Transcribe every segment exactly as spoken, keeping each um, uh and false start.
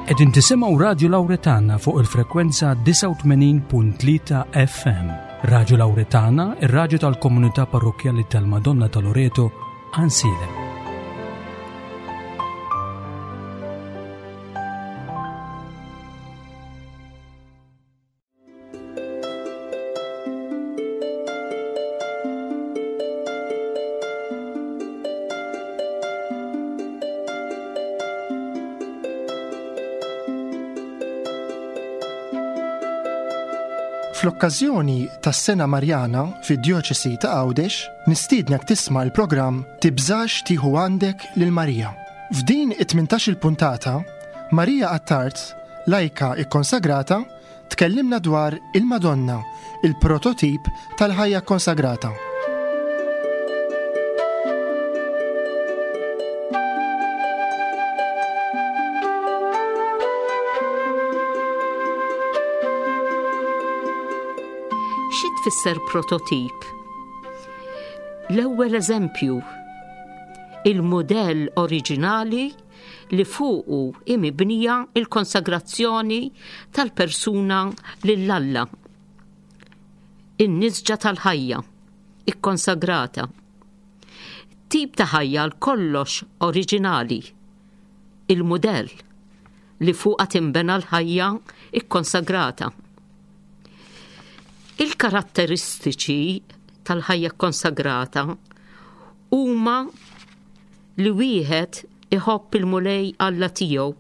Qegħdin tisimgħu Radju Lawretana fuq il-frekwenza disgħa u tmenin punt tlieta F M. Radju Lawretana, ir-radju tal-Komunità Parrokkjali tal-Madonna ta' Loreto, Għajnsielem. Fl-okkażjoni tas-Sena Marjana fid-Djoċesi ta' Għawdex, nistiednek tisma' l-programm Tibżax tieħu għandek lil Marija. F'din it-tmintax-il puntata, Marija Attard, lajka ikkonsagrata, tkellimna dwar il-Madonna, il-prototip tal-ħajja konsagrata. Xi tfisser prototip? L-ewwel eżempju, il-modell oriġinali li fuqu hi mibnija il-konsagrazzjoni tal-persuna lil Alla. In-nisġa tal-ħajja, ikkonsagrata. Tip ta' ħajja għal kollox oriġinali, il-modell li fuqha tinbena l-ħajja ikkonsagrata. Il-karatteristiċi tal-ħajja konsagrata huma li wieħed iħobb il-Mulej Alla tiegħu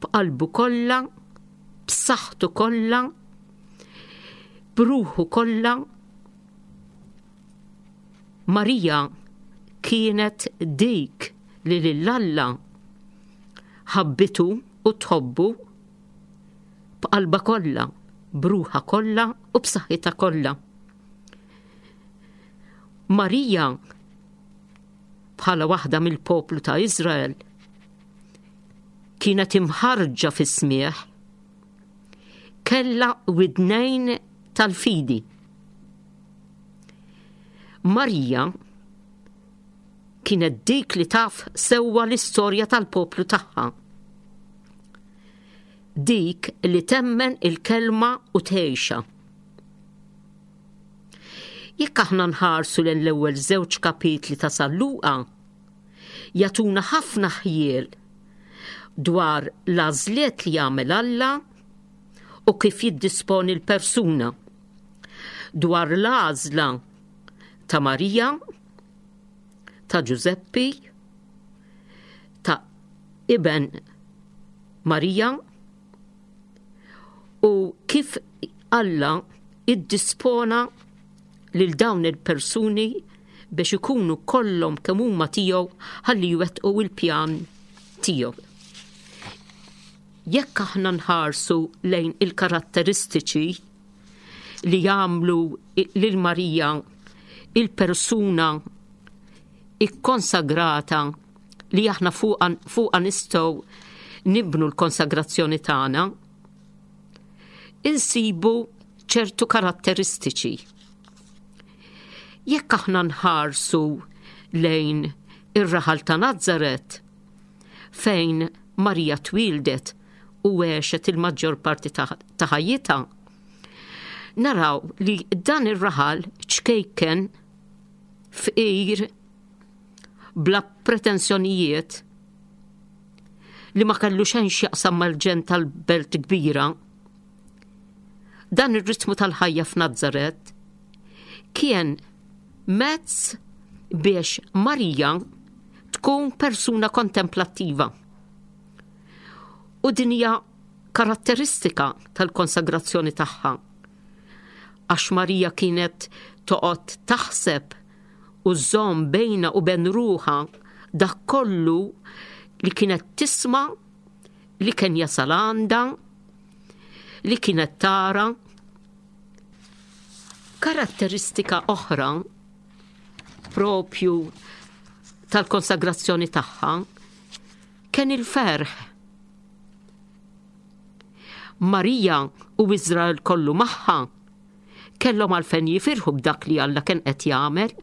b'qalbu kollha, b'saħħtu kollha, b'ruħu kollha. Marija kienet dik li lil Alla ħabbitu u tħobbu b'qalba kollha, b'ruħha kollha u b'saħħitha kollha. Marija bħala waħda mill-poplu ta' Izrael kienet imħarġa fis-smieħ, kella widnejn tal-fidi. Marija kienet dik li taf sewwa l-istorja tal-poplu tagħha. Dik li temmen il-kelma u tgħixha. Jekk aħna nħarsu lejn l-ewwel żewġ kapitli ta' San Luqa, jagħtuna ħafna ħjiel dwar l-għażliet li jagħmel Alla u kif jiddisponi l-persuna, dwar l-għażla ta' Marija, ta' Ġużeppi, ta' iben Marija u kif Alla iddispona lil dawn il-persuni biex ikunu kollhom kemm huma tiegħu ħalli jwettqu il-pjan tiegħu. Jekk aħna nħarsu lejn il-karatteristiċi li jagħmlu lil Marija il-persuna ikkonsagrata li aħna fuqha fuqha nistgħu nibnu l-konsagrazzjoni tagħna, insibu ċertu karatteristiċi. Jekk aħna nħarsu lejn ir-raħal ta' Nazzaret, fejn Marija twildet u għexet il-maġġor parti ta' ta' ħajjitha, naraw li dan ir-raħal ċkejken, fqir, bla pretensjonijiet, li ma kellu xejn x'jaqsam mal-ġen tal-belt kbira. Dan ir-ritmu tal-ħajja f'Nazzaret kien mezz biex Marija tkun persuna kontemplattiva. U din hija karatteristika tal-konsagrazzjoni tagħha. Għax Marija kienet toqgħod taħseb u żżomm bejna u bejn ruħha dak kollu li kienet tisma', li kien jasal għandha, li kienet tara. Karatteristika oħra propju tal-konsagrazzjoni tagħha kien il-ferħ. Marija u Izrael kollu magħha kellhom għalfejn jifirħu b'dak li Alla kien qed jagħmel,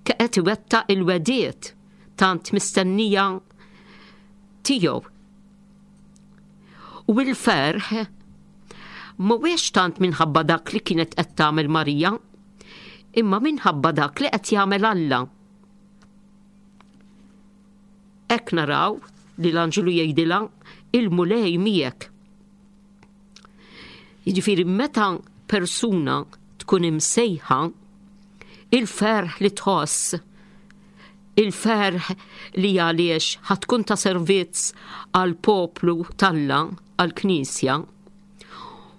kien qed iwettaq il-wegħdiet tant mistennija tiegħu. U l-ferħ mhuwiex tant minħabba dak li kienet qed tagħmel Marija, imma minħabba dak li qed jagħmel Alla. Hekk naraw li l-anġlu jgħidilha il-Mulej miegħek. Jiġifieri meta persuna tkun imsejħa, il-ferħ li tħoss, il-ferħ li għaliex ħatkun ta' servizz għal poplu talla, għal knisja,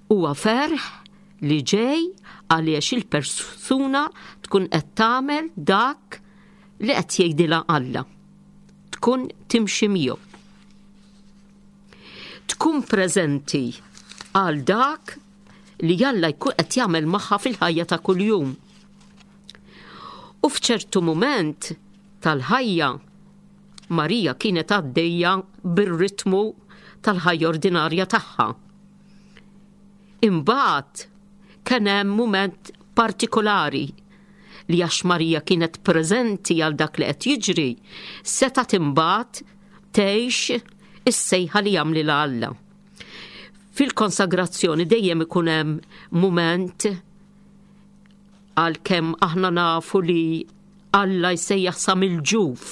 huwa ferħ li ġej għaliex il-persuna tkun qed tagħmel dak li qed jgħidilha Alla. Tkun timxi miegħu. Tkun preżenti għal dak li Alla jkun qed jagħmel magħha fil-ħajja ta' kuljum. U f'ċertu mument tal-ħajja Marija kienet għaddejja bir-ritmu tal-ħajja ordinarja tagħha. Imbagħad kien hemm mument partikolari li għax Marija kienet preżenti għal dak li qed jiġri, setgħet imbagħad tgħix is-sejħa li jagħmlilha Alla. Fil-konsagrazzjoni dejjem ikun hemm mument għalkemm aħna nafu li Alla jsejjaħ sa mill-ġuf.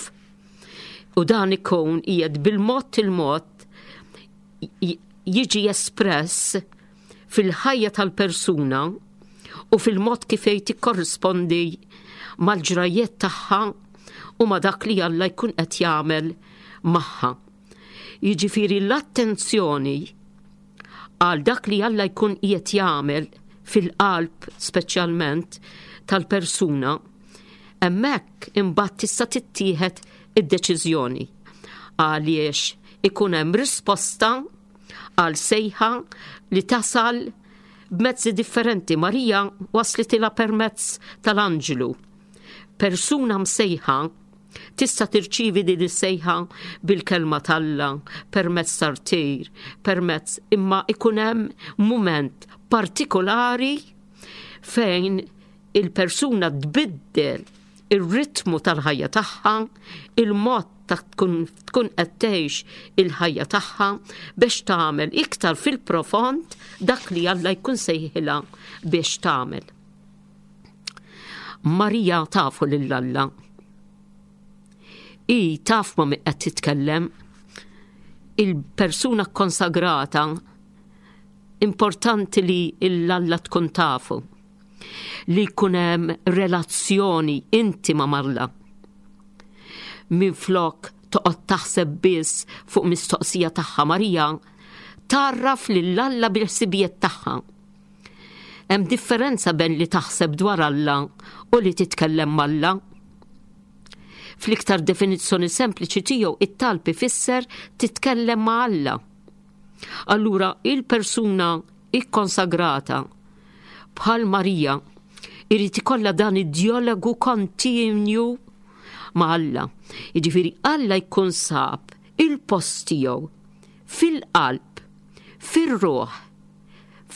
U dan ikun qiegħed bil-mod il-mod jiġi espress fil-ħajja tal-persuna u fil-mod kif tikkorrispondi mal-ġrajiet tagħha u ma dak li Alla jkun qed jagħmel magħha. Jiġifieri l-attenzjoni għal dak li Alla jkun qiegħed jagħmel fil-qalb speċjalment tal-persuna, hemmhekk imbagħad tista' tittieħed id-deċiżjoni għaliex ikun hemm risposta għal sejħa li tasal b'mezzi differenti. Marija waslitilha permezz tal-anġlu. Persuna msejħa tista' tirċievi din is-sejħa bil-kelma t'Alla, permezz tar-tir, permezz, imma ikun hemm mument partikolari fejn il-persuna tbiddel ir-ritmu tal-ħajja tagħha, il-mod ta' tkun tkun qed tgħix il-ħajja tagħha biex tagħmel iktar fil-profond dak li Alla jkun sejħilha biex tagħmel. Marija tafu lil Alla. I taf ma' min qed titkellem. Il-persuna konsagrata importanti li l-Alla tkun tafu, li jkun hemm relazzjoni intima m'Alla. Minflok toqgħod taħseb biss fuq mistoqsija tagħha, Marija tarraf lil Alla bil-ħsibijiet tagħha. Hemm differenza bejn li taħseb dwar Alla u li titkellem m'Alla. Fl-iktar definizzjoni sempliċi tiegħu it-talb ifisser titkellem ma' Alla. Allura il-persuna ikkonsagrata bħal Marija irid ikollha dan id-dialogu kontinju ma' Alla. Jiġifieri Alla jkun sab il-post tiegħu fil-qalb, fir-ruħ,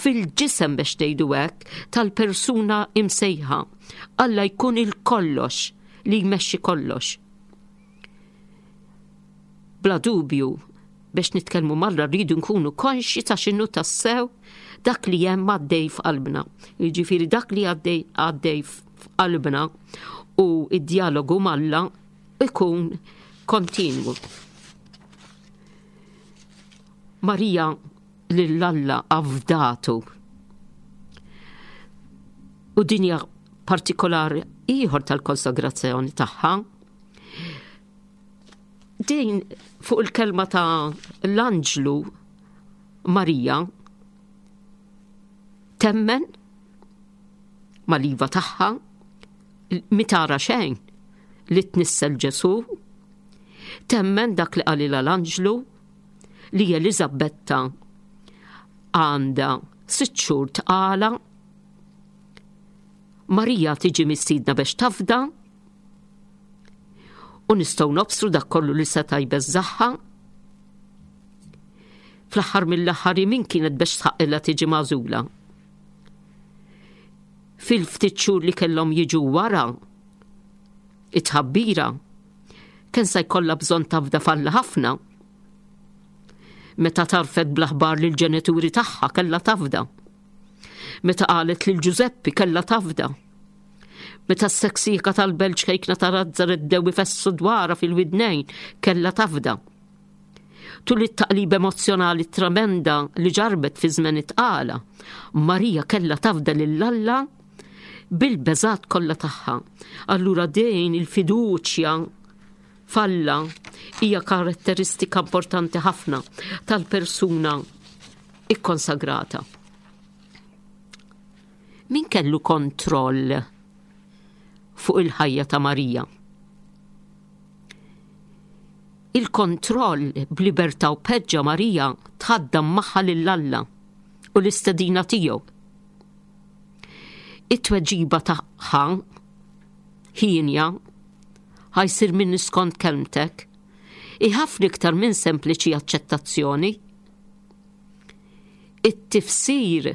fil-ġisem biex ngħidu hekk tal-persuna imsejħa. Alla jkun il-kollox li jmexxi kollox. Bla dubju, biex nitkellmu m'Alla rridu nkunu konxji ta' x'inhu tassew dak li hemm għaddej f'qalbna. Jiġifieri dak li għaddej għaddej f'qalbna u id-dialogu m'Alla ikun kontinwu. Marija lil Alla afdatu. U dinja partikolari ieħor tal-konsagrazzjoni tagħha. Din fuq il-kelma ta' l-anġlu Marija temmen mal-iva tagħha mitara xejn li tnissel Ġesu, temmen dak li qalilha l-anġlu li Eliżabetta għandha sitt xhur tqala. Marija tiġi mistiedna biex tafda u nistgħu nobsru dak kollu li seta' jbeżżaħħa. Fl-aħħar mill-aħħar min kienet biex tħaqqilha tiġi magħżula. Fil-ftit xhur li kellhom jiġu wara it-tħabbira, kien se jkollha bżonn tafda f'Alla ħafna. Meta tarfet bl-aħbar lill-ġenituri tagħha kellha tafda. Meta qalet lil Ġużeppi kellha tafda. Meta s-seksika tal-belt ċkejkna ta' Nazzaret bdew ifessu dwarha fil-widnejn kellha tafda. Tul it-taqlib emozzjonali tremenda li ġarbet fi żmien it-tqala, Marija kellha tafda lil Alla bil-beżat kollha tagħha. Allura din il-fiduċja f'Alla hija karatteristika importanti ħafna tal-persuna ikkonsagrata. Min kellu kontroll fuq il-ħajja ta' Marija? Il-kontroll b'libertà u peġġa Marija tħaddam magħha lil Alla u l-istedina tiegħu. It-tweġiba tagħha ħienja ħa jsir minni skont kelmtek hi ħafna iktar minn sempliċi aċċettazzjoni. It-tifsir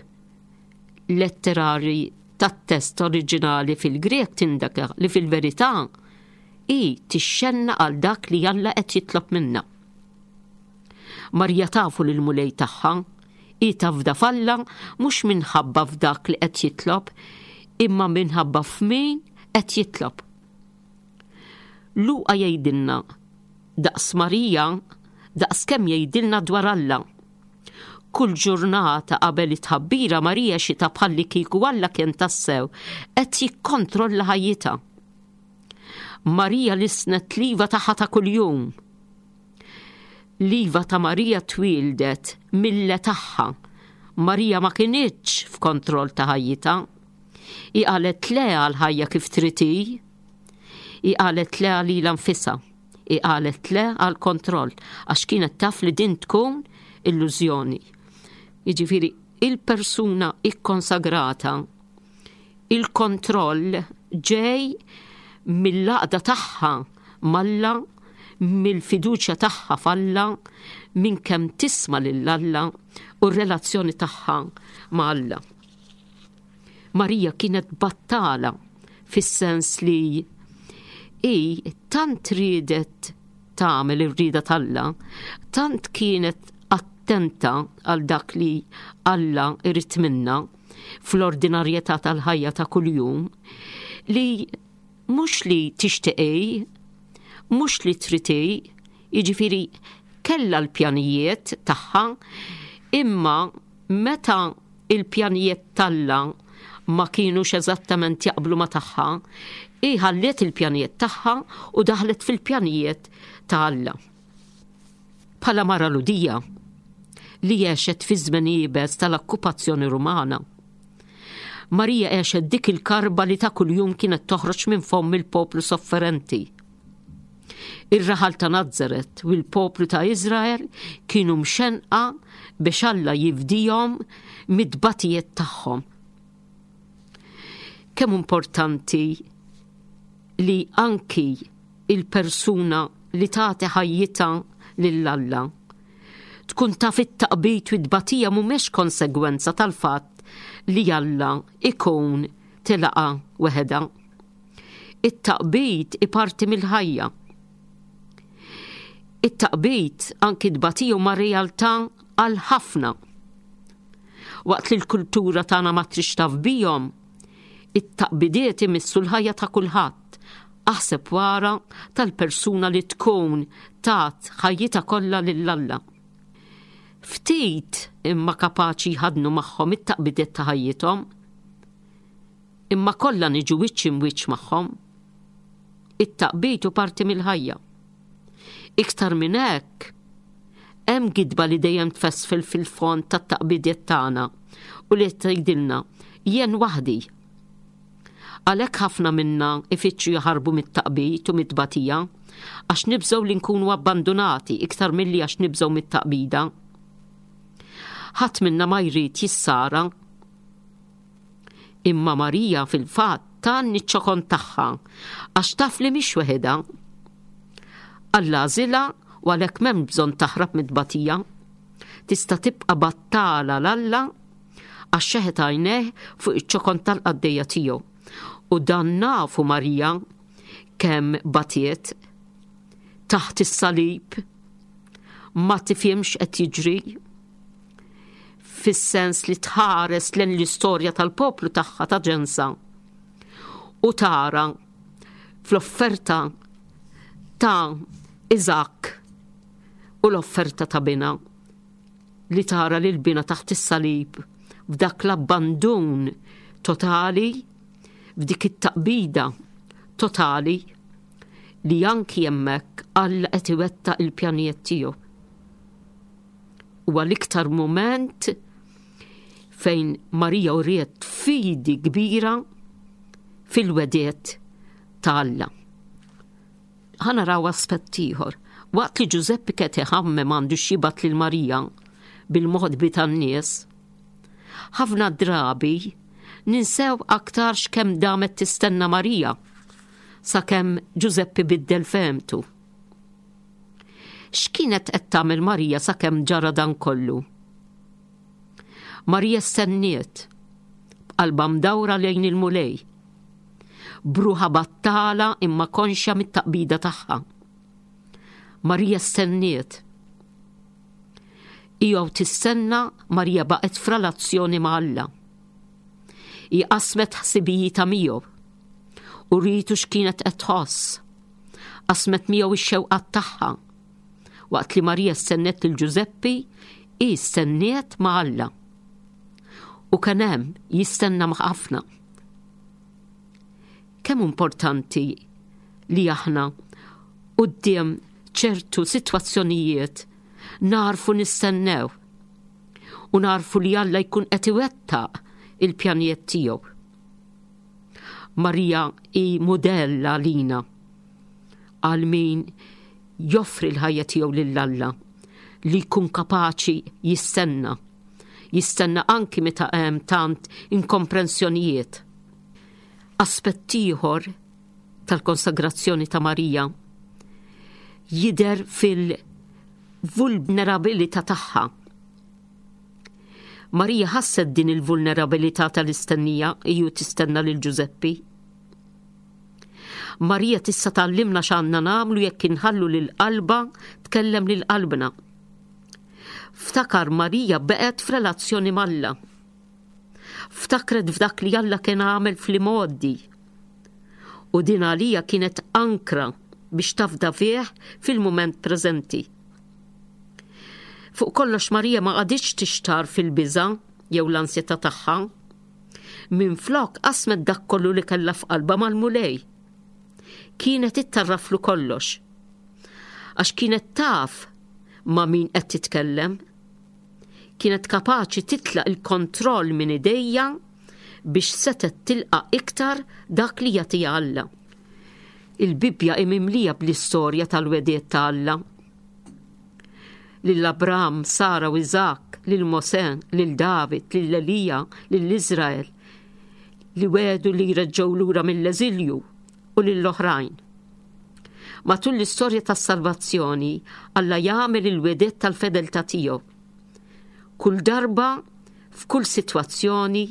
letterari tat-test oriġinali fil-Grek tindika li fil-verità hi tixxenna għal dak li Alla qed jitlob minna. Marija tafu lil Mulej tagħha, hi tafda f'Alla mhux minħabba f'dak li qed jitlob, imma minħabba f'min qed jitlob. Luqa jgħidilna daqs Marija daqs kemm jgħidilna dwar Alla. Kull ġurnata qabel it-tħabbira Marija xita bħalli kieku Alla kien tassew qed jikkontrolla ħajjitha. Marija lisnet l-iva tagħha ta' kuljum. L-iva ta' Marija twildet mill-le tagħha. Marija ma kinitx f'kontroll ta' ħajjitha. Hi qalet le għal ħajja kif trid hi. Hi qalet le għalilha nfisha. Hi qalet le għal kontroll għax kienet taf li din tkun illużjoni. Jiġifieri il-persuna ikkonsagrata, il-kontroll ġej mill-għaqda tagħha m'Alla, mill-fiduċja tagħha f'Alla, minn kemm tisma' lil Alla u r-relazzjoni tagħha ma' Alla. Marija kienet battala fis-sens li hi tant riedet tagħmel ir-rieda t'Alla, tant kienet attenta għal dak li Alla irid minna fl-ordinarjetà tal-ħajja ta' kuljum li mhux li tixtieqi, mhux li triti, jiġifieri kellha l-pjanijiet tagħha, imma meta il-pjanijiet t'Alla ma kienux eżattament jaqblu ma tagħha, hi ħalliet il-pjanijiet tagħha u daħlet fil-pjanijiet ta' Alla. Bħala mara Lhudija li għexet fi żmien iebes tal-okkupazzjoni Rumana, Marija għexet dik il-karba li ta' kuljum kienet toħroġ minn fomm il-poplu sofferenti. Ir-raħal ta' Nazzaret u l-poplu ta' Izrael kienu mxenqa biex Alla jifdihom mid-batijiet tagħhom. Kemm importanti li anki il-persuna li tagħti ħajjitha lil Alla tkun taf it-taqbid u t-tbatija mhumiex konsegwenza tal-fatt li Alla ikun tilaqa weħeda. It-taqbid iparti mill-ħajja. It-taqbid anki tbatija huma realtà għal ħafna. Waqt li l-kultura tagħna ma trix taf bihom, it-taqbidiet imissu l-ħajja ta' kulħadd. Aħseb wara tal-persuna li tkun tat ħajjitha kollha lil Alla. Ftit imma kapaċi jħadnu magħhom it-taqbidiet ta' ħajjithom, imma kollha niġu wiċċ imwiċċ magħhom. It-taqbid hu parti mill-ħajja. Iktar minn hekk, hemm gidba li dejjem tfesfel fil-fond tat-taqbidiet tagħna u li tgħidilna jien waħdi. Għalhekk ħafna minna ifittxu jaħarbu mit-taqbid u mit-tbatija għax nibżgħu li nkunu abbandunati iktar milli għax nibżgħu mit-taqbida. Ħadd minna ma jrid jissara. Imma Marija fil-fatt tgħanni ċ-ċokon tagħha għax taf li mhix weħidha. Alla għażilha u għalhekk m'hemm bżonn taħrab mit-tbatija. Tista' tibqa' battala l-Alla għax xeħet għajnejh fuq iċ-ċokon tal-qaddejja tiegħu. U dan nafu Marija kemm batiet taħt is-salib, Ma tifhimx qed jiġri, fis-sens li tħares lejn l-istorja tal-poplu tagħha ta' ġensa u tara fl-offerta ta' Iżak u l-offerta ta' bina, li tara lil bina taħt is-salib f'dak l-abbandun totali, f'dik it-taqbida totali, li anki hemmhekk Alla qed iwettaq il-pjanijiet tiegħu. Huwa l-iktar mument fejn Marija uriet fidi kbira fil-wegħdiet ta' Alla. Ħa naraw aspett ieħor. Waqt li Ġużeppi qed iħammem għandu x'jibgħat lil Marija bil-moħbi tan-nies, ħafna drabi ninsew aktarx kemm damet tistenna Marija sakemm Ġużeppi biddel fehmtu. X'kienet qed tagħmel Marija sakemm ġara dan kollu? Marija stenniet b'qalba mdawra lejn il-Mulej, bruħa battala imma konxja mit-taqbida tagħha. Marija stenniet. Ija u tistenna, Marija baqgħet f'relazzjoni ma' Alla. Hi qasmet ħsibijietha miegħu u rietu x'kienet qed tħoss. Qasmet miegħu ix-xewqat tagħha. Waqt li Marija stennet lil Ġużeppi, hi stenniet ma' Alla. U kien hemm jistenna ma' ħafna. Kemm importanti li aħna quddiem ċertu sitwazzjonijiet narfu nistennew u narfu li Alla jkun qed iwettaq il-pjanijiet tiegħu. Marija hi mudell għalina għal min joffri l-ħajja tiegħu lil Alla, li jkun kapaċi jistenna, jistenna anki meta hemm tant inkomprensjonijiet. Aspett ieħor tal-konsagrazzjoni ta' Marija jidher fil-vulnerabilità tagħha. Marija ħasset din il-vulnerabilità tal-istennija iju tistenna lil Ġużeppi. Marija tista' tgħallimna x'għandna nagħmlu jekk inħallu lil qalba tkellem lil qalbna. Ftakar, Marija beqgħet f'relazzjoni m'Alla. Ftakret f'dak li Alla kien għamel fl-imgħoddi. U din għalija kienet ankra biex tafda fih fil-mument preżenti. Fuq kollox Marija ma qagħditx tixtar fil-biża' jew l-ansjetà tagħha. Minflok qasmet dak kollu li kellha f'qalba mal-Mulej. Kienet ittarraflu kollox. Għax kienet taf ma' min qed titkellem. Kienet kapaċi titlaq il-kontroll minn idejja biex setet tilqa' iktar dak li jagħtiha Alla. Il-Bibbja hi mimlija bl-istorja tal-wegħdiet ta' Alla. Lil Abram, Sara u Iżak, lil Mosè, lil David, lil Elija, lil Iżrael, li wedu li jreġgħu lura mill-eżilju u lill-oħrajn. Matul l-istorja tas-salvazzjoni, Alla jagħmel il-wegħdiet tal-fedeltà tiegħu. Kull darba, f'kull sitwazzjoni,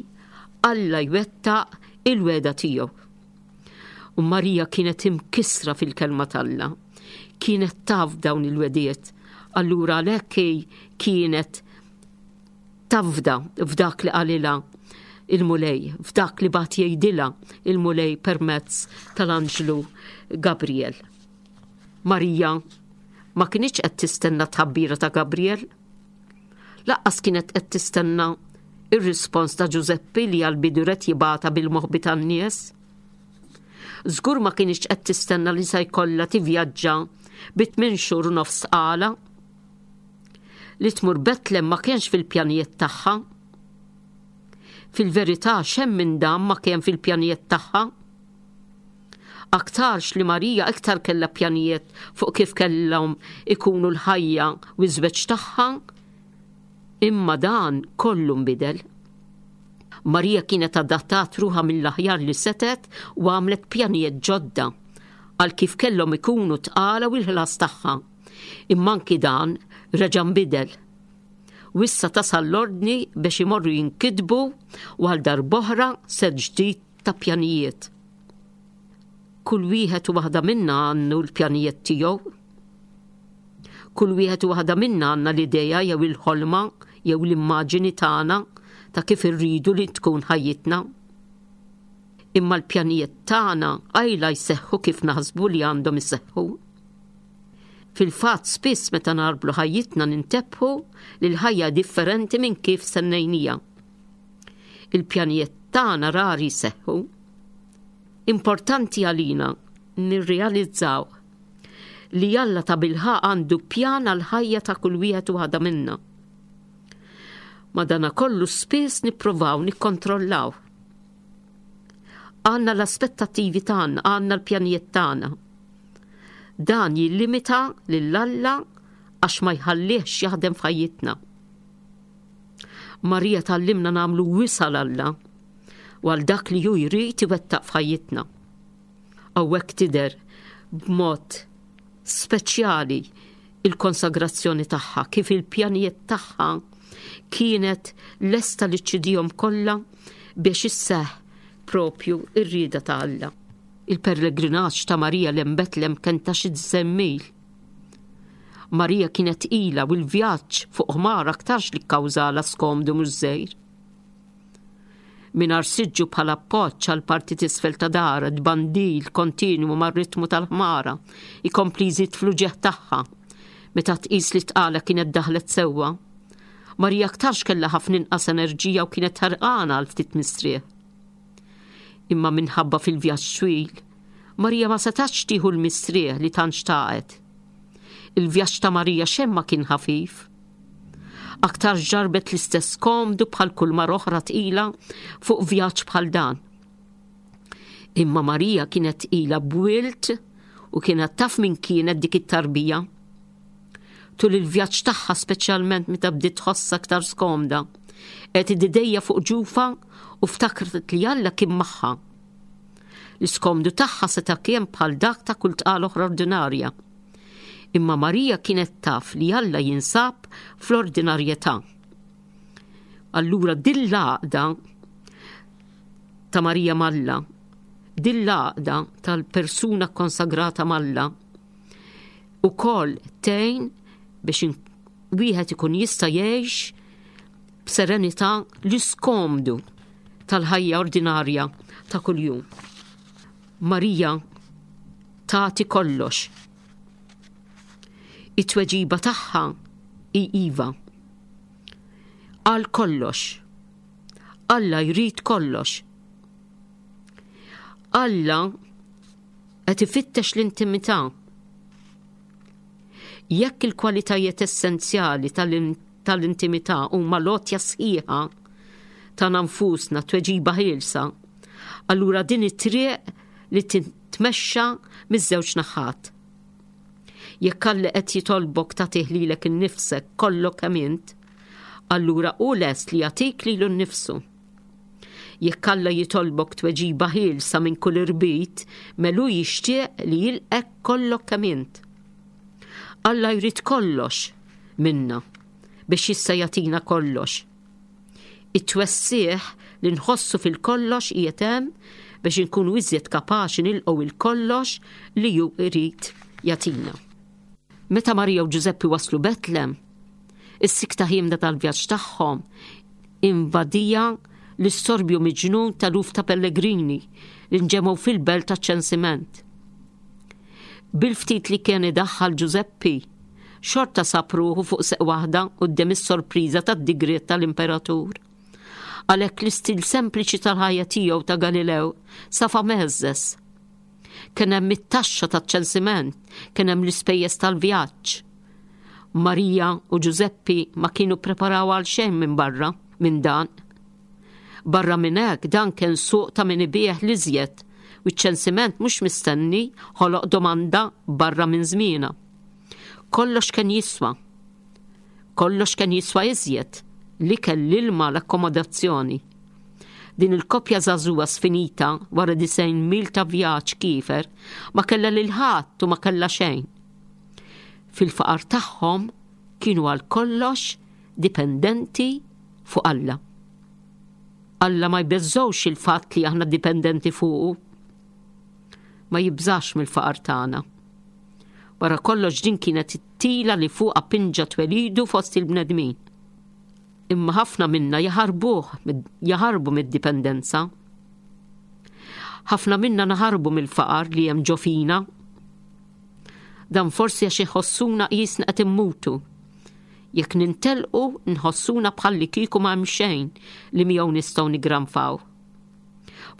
Alla jwettaq il-wegħda tiegħu. U Marija kienet imkissra fil-kelma t'Alla. Kienet taf dawn il-wegħdiet. Allura għalhekk hi kienet tafda f'dak li qalilha il-Mulej, f'dak li bagħat jgħidilha il-Mulej permezz tal-Anġlu Gabriel. Marija ma kinitx qed tistenna tħabbira ta' Gabriel. Lanqas kienet qed tistenna ir-rispons ta' Ġużeppi li għall-bidu ried jibgħatha bil-moħbi tan-nies. Żgur ma kinitx qed tistenna li se jkollha tivvjaġġa bi tmien xhur u nofs tqala. Li tmur Betlem ma kienx fil-pjanijiet tagħha. Fil-verità xejn minn dan ma kien fil-pjanijiet tagħha. Aktarx li Marija iktar kellha pjanijiet fuq kif kellhom ikunu l-ħajja u ż-żwieġ tagħha, imma dan kollu nbidel. Marija kienet adattat ruħha mill-aħjar li setet u għamlet pjanijiet ġodda għal kif kellhom ikunu tqala u l-ħlas tagħha. Imma anki dan reġa' nbidel. U issa tasal l-ordni biex imorru jinkitbu u għal darb'oħra set ġdid ta' pjanijiet. Kull wieħed u waħda minna għandu l-pjanijiet tiegħu. Kull wieħed u waħda minna għandna l-idea jew il-ħolma jew l-immaġini tagħna ta' kif irridu li tkun ħajjitna. Imma l-pjanijiet tagħna qajla jseħħu kif naħsbu li għandhom iseħħu. Fil-fatt spiss meta narblu ħajjitna nintebħu li l-ħajja differenti minn kif stennejnieha. Il-pjanijiet tagħna rari jseħħu. Importanti għalina nirrealizzaw li Alla tabilħaqq għandu pjan għal-ħajja ta' kull wieħed u waħda minna. Madanakollu spiss nippruvaw nikkontrollaw. Għandna l-aspettattivi tagħna, għandna l-pjanijiet tagħna. Dan jillimita lil Alla għax ma jħallihx jaħdem f'ħajjitna. Marija tgħallimna nagħmlu wisa' 'l Alla u għal dak li hu jrid iwettaq f'ħajjitna. Hawnhekk tidher b'mod speċjali il-konsagrazzjoni tagħha, kif il-pjanijiet tagħha kienet lesta li ċċedihom kollha biex isseħ propju ir-rieda ta' Alla. Il-pellegrinaġġ ta' Marija lejn Betlem kien ta' xi mil. Marija kienet tqila u l-vjaġġ fuq ħmar aktarx li kkawżalha skomdu mhux żgħir. Mingħajr siġġu bħala appoġġ għal parti t'isfel ta' daharha, tbandil kontinwu mar-ritmu tal-ħmara, ikompli jżid fl-uġigħ tagħha. Meta tqis li tqala kienet daħlet sewwa. Marija aktarx kellha ħafna inqas enerġija u kienet ħerqana għal ftit mistrieħ. Imma minħabba fil-vjaġġ twil, Marija ma setax tieħu l-mistrieħ li tant xtaqet. Il-vjaġġ ta' Marija xejn ma kien ħafif. Aktar ġarbet l-istess skomdu bħal kull mara oħra tqila fuq vjaġġ bħal dan. Imma Marija kienet tqila b'wild u kienet taf min kienet dik it-tarbija. Tul il-vjaġġ tagħha, speċjalment meta bdiet tħossha aktar skomda, qegħdet idejha fuq ġufha u ftakret li Alla kien magħha. L-iskomdu tagħha seta' kien bħal dak ta' kull tqala oħra ordinarja. Imma Marija kienet taf li Alla jinsab fl-ordinarjetà. Allura din l-għaqda ta' Marija m'Alla, din l-għaqda tal-persuna konsagrata m'Alla, ukoll tgħin biex wieħed ikun jista' jgħix b'serenità l-iskomdu tal-ħajja ordinarja ta' kuljum. Marija tagħti kollox. It-tweġiba tagħha hi iva. Għal kollox. Alla jrid kollox. Alla qed ifittex l-intimità. Jekk il-kwalitajiet essenzjali tal-intimità huma l-għotja sħiħa ta' nfusna, tweġiba ħielsa, allura din it-triq li titmexxa miż-żewġ naħat. Jekk Alla qed jitolbok tagħtih lilek innifsek kollok kemm int, allura hu lest li jagħtik lilu nnifsu. Jekk Alla jitolbok tweġiba ħielsa minn kull irbit, mela hu jixtieq li jilqgħek kollok kemm int. Alla jrid kollox minna biex jista' jagħtina kollox. It-twessigħ li nħossu fil-kollox qiegħed hemm biex inkunu iżjed kapaċi nilqgħu il-kollox li hu jrid jagħtina. Meta Marija u Ġużeppi waslu Betlem, is-sikta ħiemda tal-vjaġġ tagħhom invadieha l-istorbju miġnun ta' eluf ta' pellegrini li nġemgħu fil-belt ta' ċensiment. Bil-ftit li kien idaħħal Ġużeppi, xorta sab ruħu fuq seq waħda quddiem is-sorpriża tad-digriet tal-imperatur. Għalhekk l-istil sempliċi tal-ħajja tiegħu ta' Galilew safa mheżżeż. Kien hemm it-taxxa taċ-ċensiment, kien hemm l-ispejjeż tal-vjaġġ. Marija u Ġużeppi ma kienu preparaw għal xejn minn barra minn dan. Barra minn hekk, dan kien suq ta' min ibigħ l-iżjed u ċ-ċensiment mhux mistenni ħoloq domanda barra minn żmienha. Kollox kien jiswa. Kollox kien jiswa iżjed, l-ikel, l-ilma, l-akkomodazzjoni. Din il-koppja żagħżugħa sfinita wara disgħin mil ta' vjaġġ kiefer ma kellha lil ħadd u ma kellha xejn. Fil-faqar tagħhom kienu għal kollox dipendenti fuq Alla. Alla ma jbeżżgħux il-fatt li aħna dipendenti fuqu. Ma jibżax mill-faqar tagħna. Wara kollox din kienet it-tila li fuqha pinġa twelidu fost il-bnedmin. Imma ħafna minna jaħarbuh, jaħarbu mid-dipendenza. Ħafna minna naħarbu mill-faqar li hemm ġo fina. Dan forsi għax inħossuna qisna qed immutu. Jekk nintelqu nħossuna bħalli kieku ma hemm xejn li miegħu nistgħu nigranfaw.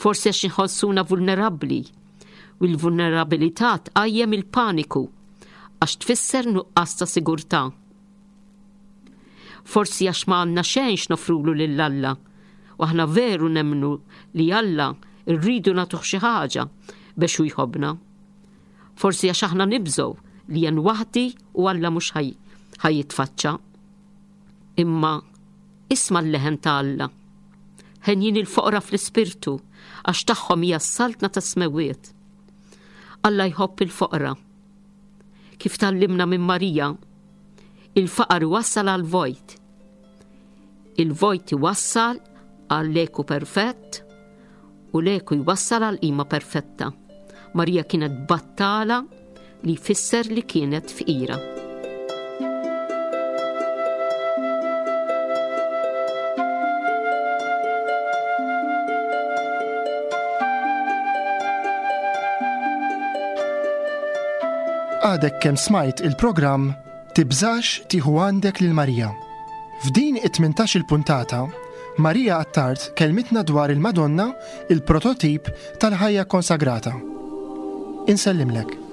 Forsi għax inħossuna vulnerabbli u l-vulnerabilità tqajjem il-paniku għax tfisser nuqqas ta' sigurtà. Forsi għax ma għandna xejn x'nofrulu lil Alla u aħna veru nemmnu li Alla rridu nagħtuh xi ħaġa biex hu jħobbna. Forsi għax aħna nibżgħu li jien waħdi u Alla mhux ħa jitfaċċa. Imma isma' l-leħen ta' Alla. Henjin il-foqra fl-ispirtu għax tagħhom hija s-saltna tas-smewwiet. Alla jħobb il-foqra. Kif tgħallimna minn Marija, il-faqar iwassal għal vojt. Il-vojt iwassal għal eku perfett u l-eku jwassal għal qima perfetta. Marija kienet battala li jfisser li kienet fqira. Għadek kemm smajt il-programm Tibżax tieħu għandek lil Marija. F'din it-tmintax il-puntata, Marija Attard kelmitna dwar il-Madonna, il-prototip tal-ħajja konsagrata. Insellimlek.